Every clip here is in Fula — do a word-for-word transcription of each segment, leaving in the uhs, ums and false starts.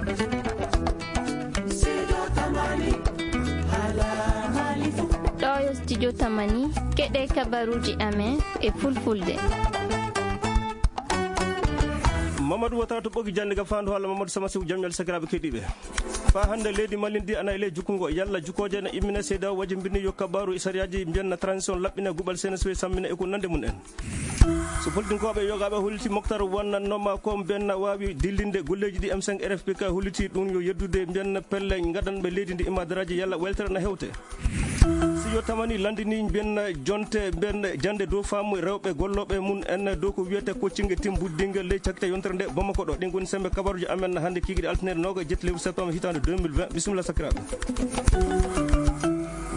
Ɗo yo studio Tamani, keɗe kabaruuji amen e fulfulde. Mamadou Watara to ɓogi jannde ga faandu, holla Mamadou Sama Sow, jam ñalle sakiraaɓe keɗiiɓe. Faa hannde leydi Mali ndi ana e ley jukkungo, yalla jukkooje ene immina. Seedeyaawo wajjimbini yo kabaaru e sariyaaji mbiyanna transition laɓɓina, guɓal C N S P sammina e ko nande mum en. So politinkooɓe yogaaɓe holliti Moctar wonnannooma ko mbiyanna waawi dillinde golleeji ɗi M cinq R F P K holliti ɗum yo yeddude mbiyanna pelle ngadanɓe leydi ndi e madaraaji yalla weltere na hewte. Si yo tamani landini mbiyanna jonte mbiyanna jannde dow faamu rewɓe gollooɓe mum en dow ko wiyete coaching team buddinga ley cakkite yontere nde Bamako ɗo. Ɗin ngoni sembe kabaruji amen hannde kikiɗe altine noogaye e jetti lewru septembre hitaande deux mille vingt. Bisimilla sakiraaɓe.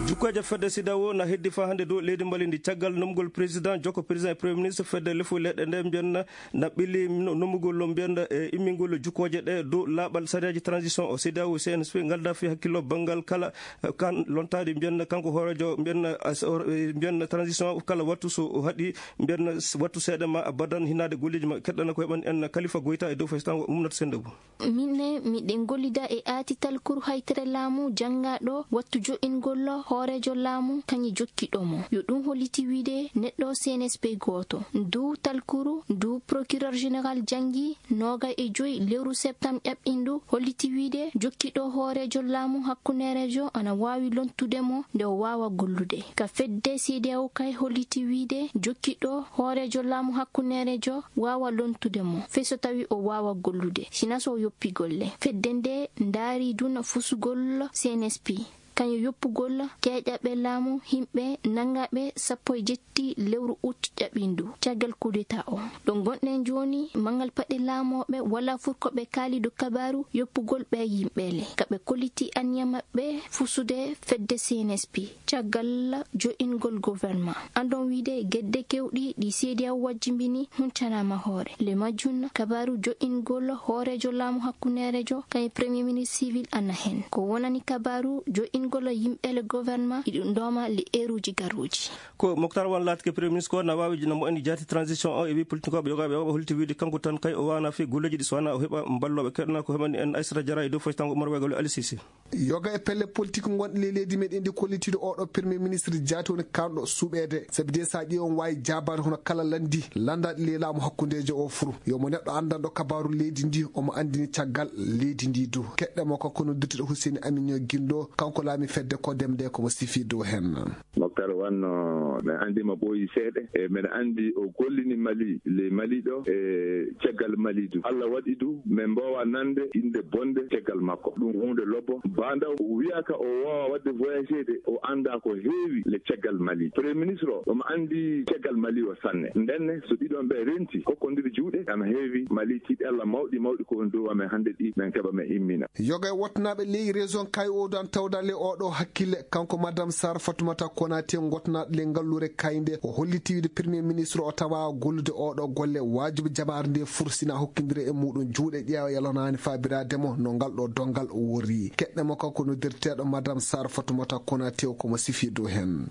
Jukkooje fedde CEDEAO na heddi faa hannde dow leydi Mali ndi caggal nomgol président, jokko président e premier ministre fedde lefu leyɗe nde mbiyanna na ɓili no-, nomugol mbiyanna e immingol jukkooje ɗe dow laaɓal sariyaaji transition o. CEDEAO, C N S P ngalda fii hakkillo banngal kala, eh, kan lontaade mbiyanna kanko hooreejo mbiyanna as-, or-, eh, mbiyanna transition kala wattu so o haɗi mbiyanna s-, wattu seeɗa ma abadan hinaade golleeji ma. Keɗɗana ko heɓan en Kalifa Goyta e dow faysango Mumnata Sendou. Minen, miɗen gollida e aati talkuru haytere laamu janngaɗo wattu jo'ingol hooreejo laamu kañi jokkiɗo mo. Yo ɗum holliti wiide neɗɗo C N S P gooto. Ndu talkuru, ndu procureur général janngi noogay e joy lewru septembre ƴaɓɓindu, holliti wiide jokkiɗo hooreejo laamu hakkundeerejo ana waawi lontude mo nde o waawa gollude. Ka fedde CEDEAO kay holliti wiide jokkiɗo hooreejo laamu hakkundeerejo waawa lontude mo, fey so tawi o waawa gollude, sina so o yoppi golle. Fedde nde ndaari duna fusugol C N S P, kañum yoppugol keeƴaɓe laamu yimɓe nanngaɓe sappo e jetti lewru ut ƴaɓindu caggal kudeta o. Ɗo ngonɗen jooni, manngal paɗe laamooɓe wala fur ko ɓe kaali dow kabaaru yoppugol ɓe yimɓe le. Ka ɓe kolliti anniya maɓɓe fusude fedde C N S P. Caggal jo'ingol gouvernement. Andon wiide gedde kewɗi ɗi CEDEAO wajjimbini huncanaama hoore. Le majjum, kabaaru jo'ingol hooreejo laamu hakkundeerejo, kañum premier ministre civil ana hen. Ko wonani kabaaru jo'ingol yimɓe le gouvernement, iɗum dooma le eruuji garuuji. Ko Moctar Wan laatike premier ministre ko na waawi jina mo en jaati transition o e wi politikoɓe yogaaɓe o holti wiide kanko tan kay o waana fi golleeji ɗi so wona o heɓa mballooɓe. Keɗna ko heɓani en Aissata Diarra e dow faytango Umar Wegol e Ali Cissé. Yoga e pelle politique ngonɗe ley leydi meɗen ndi kollitiiɗo oɗo premier ministre jaati woni kanɗo suɓeede. Sabi de sa ƴeewi on waawi jaabaade hono kala lanndi lanndaɗi ley laamu hakkundeejo o furu. Yo mo neɗɗo anndanɗo kabaaru leydi ndi, omo anndini caggal leydi ndi du. Keɗɗe mo ko kono duttuɗo Hussein Aminio Gindo, kanko laami fedde ko demde ko mo sifi dow hen. Moctar Wan, no, men anndi mo ɓooyi seeɗa. E men anndi o gollini Mali, ley Mali ɗo, e caggal Mali du. Allah waɗi du, men mbaawa nande innde bonde caggal makko. Ɗum huunde lobbo. Bandaw wiyaka o waawa waɗde voyagede, o annda ko heewi le caggal Mali. Premier ministre o, omo anndi caggal Mali o sanne. Ndenne, so ɗiɗon ɓe renti, kokkondiri juuɗe, ana heewi Mali tiiɗalla mawɗi, mawɗi ko on dow amen hannde ɗi, men keɓa men immina. Yoga e wottanaaɓe ley région Kayoodan tawda le oɗo hakkille, kanko Madame Sara Fatoumata Konaté, ngottanaaɗo le ngalluure Kaynde, o holliti wiide Premier Ministre o tawa gollude oɗo golle waajibi jamaare nde fursina hokkindire e muɗum juuɗe ƴeewa yalanaani faabiraade mo no ngal ɗo donngal worri. Keɗɗe mo kanko noddirteeɗo Madame Sara Fatoumata Konaté o ko mo sifi dow hen.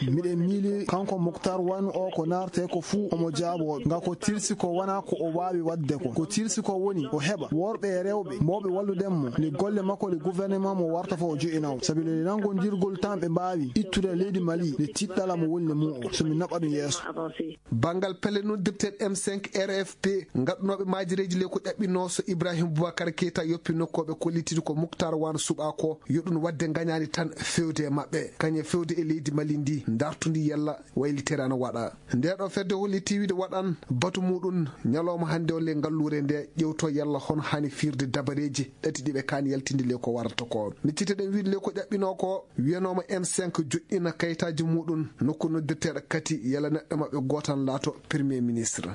Miɗen miili kanko Moctar Wan o ko naarte ko fuu omo jaaboo. Nga ko tilsi ko wona ko o waawi waɗde ko. Ko tilsi ko woni o heɓa worɓe e rewɓe mawɓe wallude mo. Nde golle makko ɗe gouvernement mo warta fof o jo'inawo. Sabi le nanngondirgol tan ɓe mbaawi ittude leydi Mali nde tiɗɗala mo woni le mum o. So mi naɓa ɗum yeeso. Banngal pelle noddirteeɗe M cinq R F P, ngaɗunooɓe maajireeji le ko ƴaɓɓinoo so Ibrahim Boubacar Keita yoppi nokkooɓe kollitiiɗo ko Moctar Wan suɓaa ko, yo ɗum waɗde ngañaani tan fewde e maɓɓe. Kañe fewde e leydi Mali ndi, dartundi yalla waylitere ana waɗa. Nde ɗo fedde holli tiiwide waɗan batu muɗum ñalawma hannde o le ngalluure nde ƴewto yalla hono hani firde dabareeji ɗati ɗi ɓe kaani yaltinde le ko warata ko. Miccite ɗen wiide le ko ƴaɓɓinoo ko wiyanooma M cinq joɗɗina kayitaaji muɗum nokku noddirteeɗo kati yalla neɗɗo maɓɓe gootan laato premier ministre.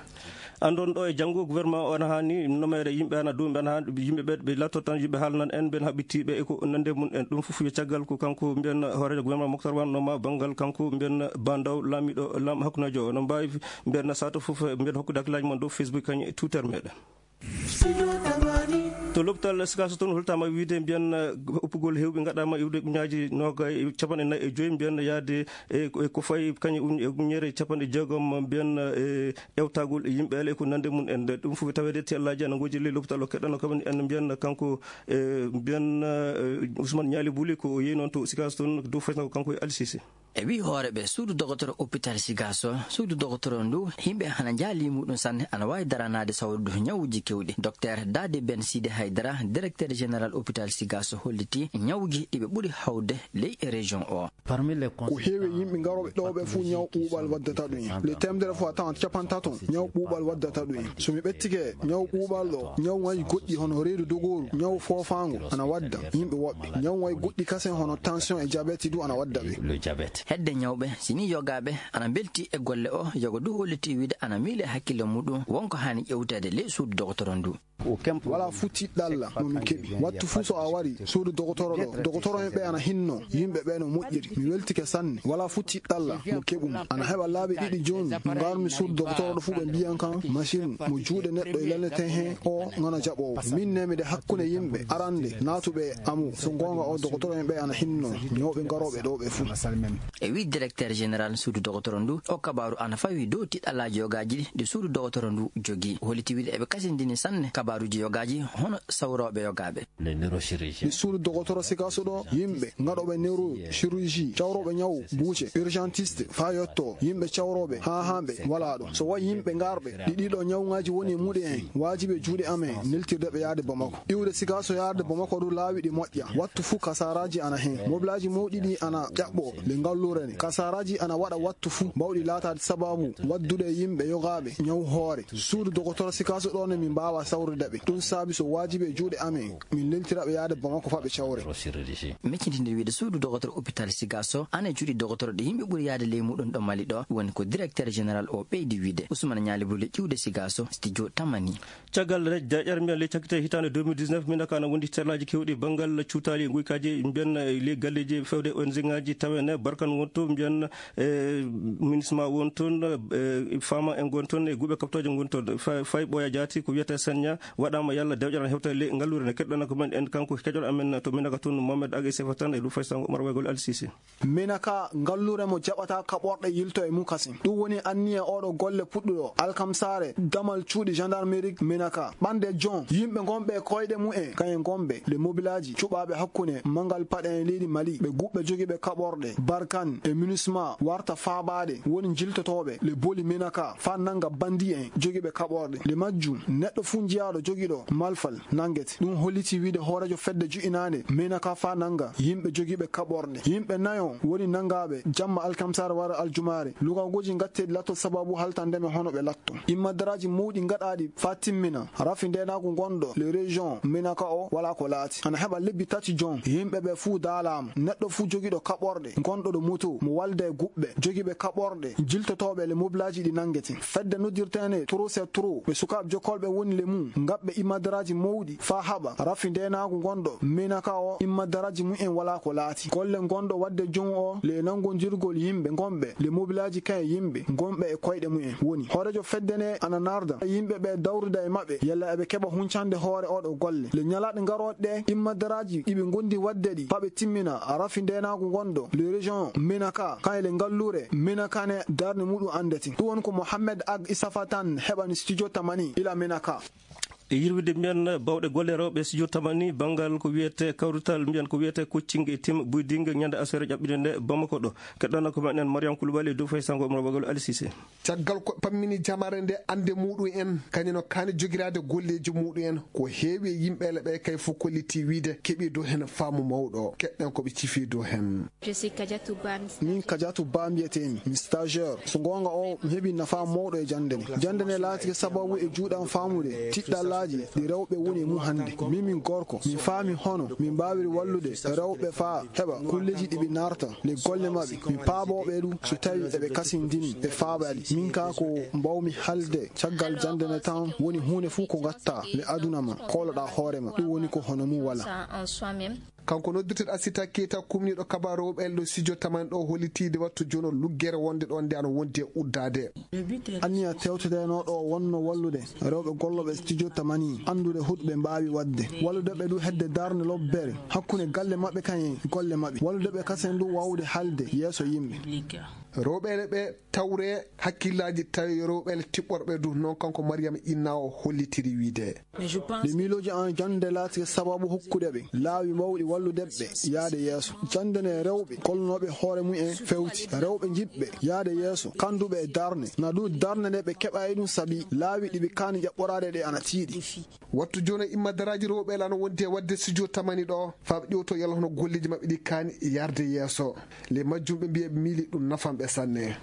Anndon ɗo e janngo gouvernement o ana haani nomere yimɓe ana dow, ɓe ana haani yimɓe ɓe, ɓe latto tan yimɓe haalnan en, ɓen haɓɓitiiɓe e ko nande mum en. Ɗum fof yo caggal ko kanko mbiyen hooreejo gouvernement Moctar Wan noma banngal kanko mbiyen bandaw laamiɗo lam hakkundejo. No mbaawi mbiyen sato fof mbiyen hokkude hakkillaaji mon dow Facebook kañum e Twitter meɗen. To lopital Sikaso toon holtaama wiide mbiyan, eh, uppugol heewɓe ngaɗaama iwde uñaaji noogay capanɗe nayi e joyi mbiyan yaade e, e ko fayi kañum e uñere capanɗe jeegom mbiyan, eh, ewtagol e yimɓe ale e ko nande mum en. Ɗum fof taweede tellaaji ana ngoji ley lopital o keɗɗano kam en mbiyan kanko, eh, mbiyan, eh, Ousmane Ñaali Buli ko yehi noon to Sikaso toon dow faytana ko kanko e Alsisi. E wii hoore ɓe suudu dogotoro hôpital Sigaso, suudu dogotoro ndu yimɓe hana njaali muɗum sanne, ana waawi daranaade sawrude ñawuuji kewɗi. Docteur Dade Ben Sidi Haydara, directeur général hôpital Sigaso, holliti ñawuuji ɗi ɓe ɓuri hawde ley région o. Ko heewi e yimɓe ngarooɓe ɗo ɓe fof ñaw ɓuuɓal waddata ɗum en. Le temedere fof a tawan capantato ñaw ɓuuɓal waddata ɗum en. So mi ɓettike ñaw ɓuuɓal ɗo, ñaw ngaji goɗɗi hono reedu dogooru, ñaw foofaango ana wadda yimɓe woɓɓe. Ñaw ngaji goɗɗi kasen hono tension e diabète du ana wadda ɓe. Hedde ñawɓe, si ni yogaaɓe ana mbelti e golle o, yogo du holliti wiide ana miile hakkille muɗum wonko haani ƴewteede ley suudu dogotoro ndu. Wala futti ɗalla mo min keɓi. Wattu fuu so a wari suudu dogotoro ɗo, dogotoro en ɓe ana hinno yimɓe ɓe no moƴƴiri. Mi weltike sanne. Wala futti ɗalla mo keɓumi. Ana heɓa laabi ɗiɗi jooni ngarmi suudu dogotoro ɗo fuu ɓe mbiyan kan machine mo juuɗe neɗɗo e lelneten he o ngana jaɓoowo. Min ne miɗe hakkunde yimɓe arande naatuɓe e amu. So goonga o dogotoro en ɓe ana hinno ñawɓe ngarooɓe ɗo ɓe fuu. E wii directeur général suudu dogotoro ndu, o kabaaru ana fawi dow tiɗɗallaaji yogaaji ɗi, ɗi suudu dogotoro ndu jogii. O holliti wiide eɓe kasindini sanne kabaaruuji yogaaji hono sawrooɓe yogaaɓe. Ɗi suudu dogotoro Sikaso ɗo, yimɓe ngaɗooɓe neurochirurgie, cawrooɓe ñaw buuce, urgentiste, faa yotto, yimɓe cawrooɓe haa haanɓe walaa ɗo. So wayi yimɓe ngarɓe, ɗi ɗiɗo ñawŋaaji woni e muɗe en, waajibi e juuɗe amen neltirde ɓe yaade Bamako. Iwde Sikaso yaade Bamako du laawi ɗi moƴƴa. Wattu fuu kasaaraaji ana heen. Mobilaaji mawɗi ɗi ana ƴaɓɓoo le ngalluure ne. Kasaaraaji ana waɗa wattu fuu mbawɗi laataade sabaabu waddude e yimɓe yogaaɓe ñaw hoore. Suudu dogotoro Sikaso ɗo ne min mbaawa sawrude ɓe. Ɗum saabi so waajibi e juuɗe amen, min leltira ɓe yaade Bamako faa ɓe cawre. Meccitinde wiide suudu dogotoro hôpital Sikaso ana e cuuɗi dogotoro ɗi yimɓe ɓuri yaade ley muɗum ɗo Mali ɗo, woni ko directeur général o ɓeydi wiide. Ousmane Ñaali Buli iwde Sikaso, studio Tamani. Caggal rej-, deeƴere mbiyan ley cakkite hitaande deux mille dix-neuf, Minaka ana wondi terlaaji keewɗi banngal cuutaali e nguykaaji mbiyan, eh, ley galleeji fewde O N G ŋaaji tawen, eh, Barkan won to mbiyan, eh, MINUSMA won toon, eh, Fama en ngon toon, e guuɓe kaɓtooje ngon toon. Fa-, fay ɓooya jaati ko wiyetee Sanya waɗaama yalla deeƴere ana hewta ley ngalluure nde. Keɗɗon ko men en kanko keƴol amen to Minaka toon Mohamed Ag e Sefa Tan e Rufay Sango Umar Waygol Al Sisi. Minaka, ngalluure mo jaɓata kaɓorɗe yilto e mum kasin. Ɗum woni anniya oɗo golle puɗɗuɗo alkamsaare damal cuuɗi gendarmerie Minaka. Ɓande jon, yimɓe ngonɓe e koyɗe mum en, kayen ngonɓe le mobilaaji cuɓaaɓe hakkunde mangal paɗe en leydi Mali, ɓe guɓɓe jogiiɓe kaɓorɗe, Barkan e MINUSMA warta faabaade, woni jiltotooɓe le boli Minaka, faa nannga bandi en jogiiɓe kaɓorɗe. Le majjum, neɗɗo fuu jiyaaɗo jogiiɗo malfal nanngete. Ɗum holliti wiide hooreejo fedde ju'inaande Minaka faa nannga yimɓe jogiiɓe kaɓorɗe. Yimɓe nayo woni nanngaaɓe jamma alkamsaare wara aljumaare. Lugagooji ngatteeɗi latto sababu haltande men hono ɓe latto. Immadaraaji mawɗi ngaɗaaɗi faa timmina. Rafi ndeenaagu ngonɗo le région Minaka o walaa ko laati. Ana heɓa lebbi tati jon. Yimɓe ɓe fuu daalaama. Neɗɗo fuu jogiiɗo kaɓorɗe, ngonɗo ɗo moto, mo walda e guɓɓe, jogiiɓe kaɓorɗe, jiltotooɓe le mobilaaji ɗi nanngete. Fedde noddirteene Trou c'est Trou, ɓe sukaaɓe jokkolɓe woni le mum, ngaɓɓe imadaraaji mawɗi faa haɓa rafi ndeenaagu ngonɗo Minaka o, imadaraaji mum en walaa ko laati. Golle ngonɗo waɗde jon o, le nanngondirgol yimɓe ngonɓe, le mobilaaji kayen yimɓe ngonɓe e koyɗe mum en woni. Hooreejo fedde ne ana narda yimɓe ɓe dawruda e maɓɓe, yalla eɓe keɓa huncande hoore oɗo golle. Le ñalaaɗe ngarooɗe ɗe, imadaraaji ɗi ɓe ngondi waɗde ɗi, faa ɓe timmina rafi ndeenaagu ngonɗo le région Minaka, kayen le ngalluure Minaka ne darnde muɗum anndete. Ɗum woni ko Mohamed Ag Isafa Tan heɓani studio Tamani ila Minaka. E yirwide mbiyan bawɗe golle rewɓe studio Tamani banngal ko wiyetee kawrital mbiyan ko wiyetee coaching e team building ñande aseere ƴaɓɓinde nde Bamako ɗo. Keɗɗon ko men en Mariam Koulibaly dow fay sango Omar Bagol Ali Cissé. Caggal ko pammini jamare nde annde muɗum en, kañum no kaani jogiraade golleeji muɗum en, ko heewi e yimɓe le ɓe kay fof kolliti wiide keɓi dow heen faamu mawɗo. Keɗɗen ko ɓe cifi dow heen. Je suis Kadiatou Ba, mi Min Kadiatou Ba mbiyetee-mi, mi stagiaire. So goonga o, mi heɓi nafaa mawɗo e jannde nde. Jannde nde laatike sababu e juuɗam faamude tiɗɗallaaji ɗi rewɓe woni e mum hannde. Min, min gorko, min faami hono min mbaawiri wallude rewɓe faa heɓa kulleeji ɗi ɓe naarta le golle maɓɓe. Mi paaboo ɓe ɗum so tawi eɓe kasindini e faabaade. Min kaa ko mbaawmi haalde caggal jannde nde tan woni huunde fof ko ngatta le aduna ma, kooloɗaa hoore ma. Ɗum woni ko hono mum wala. Ça en soi-même. Kanko noddirteɗo Asita Keita, kumniiɗo kabaru rewɓe ɗo studio tamani ɗo, hollitiide wattu jono luggere wonde ɗo nde ano wondi e uddaade. Anniya tewtetenooɗo o wonno wallude rewɓe gollooɓe studio tamani anndude huɗo ɓe mbaawi waɗde, wallude ɓe du hedde darnde lobbere hakkunde galle maɓɓe kañe golle maɓɓe, wallude ɓe kasen du waawde haalde yeeso yimɓe. Rewɓe ɓe tawre hakkillaaji tawi rewɓe tiɓɓorɓe du, noon kanko Mariam Inna o hollitiri wiide. Ɗi miilooji an jannde laati sababu hokkude ɓe laawi mawɗi wallude ɓe yaade yeeso. Jannde nde rewɓe golnooɓe hoore mum en fewti, rewɓe jiɗɓe yaade yeeso, kannduɓe e darnde, na du darnde nde ɓe keɓa e ɗum sabi laawi ɗi ɓe kaani jaɓɓoraade ɗe ana tiiɗi. Wattu jooni imma daraaji rewɓe lano wondi e waɗde studio tamani ɗo, faa ɓe ƴewto yalla hono golleeji maɓɓe ɗi kaani yarde yeeso. Le majjum ɓe mbiya ɓe miili ɗum nafan ɓe sanne.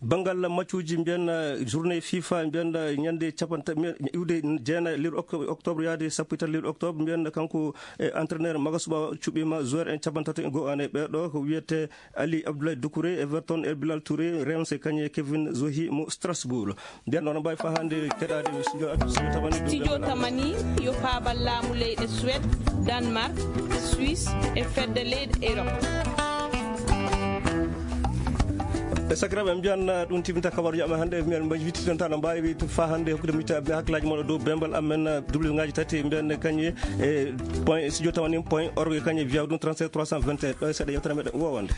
Banngal maccuuji mbiyen, eh, journée fifa mbiyen, eh, ñande capanta-, mbiyen, iwde jeenayi lewru ok-, octobre yaade sappo e tati lewru octobre mbiyen, kanko, eh, entraîneur Magasu Ɓaawo cuɓiima joueur en cappantato e go'o ane ɓeeɗo ko wiyetee Ali Abdoulaye Doucouré, Everton, El Bilal Touré, Reims, kañum e Kevin Zohi mo Strasbourg. Mbiyen noon mbaawi faa hannde keɗaade studio, studio tamani ɗum. Studio tamani yo paabal laamu leyɗe Suède, Danemark, Suisse e fedde leyɗe Europe. E sakiraaɓe, en mbiyan, uh, ɗum timinta kabaruuji amen hannde. Mbiyan mbaji witti tan tan no mbaawi to faa hannde hokkude mi ta-, hakkilaaji mon dow bembal amen, uh, double ngaji tati mbiyan kañum e point studio tamani point org kañum e via ɗum trente-sept trois cent vingt et un. Ɗo e seeɗa yewtere meɗen wowande.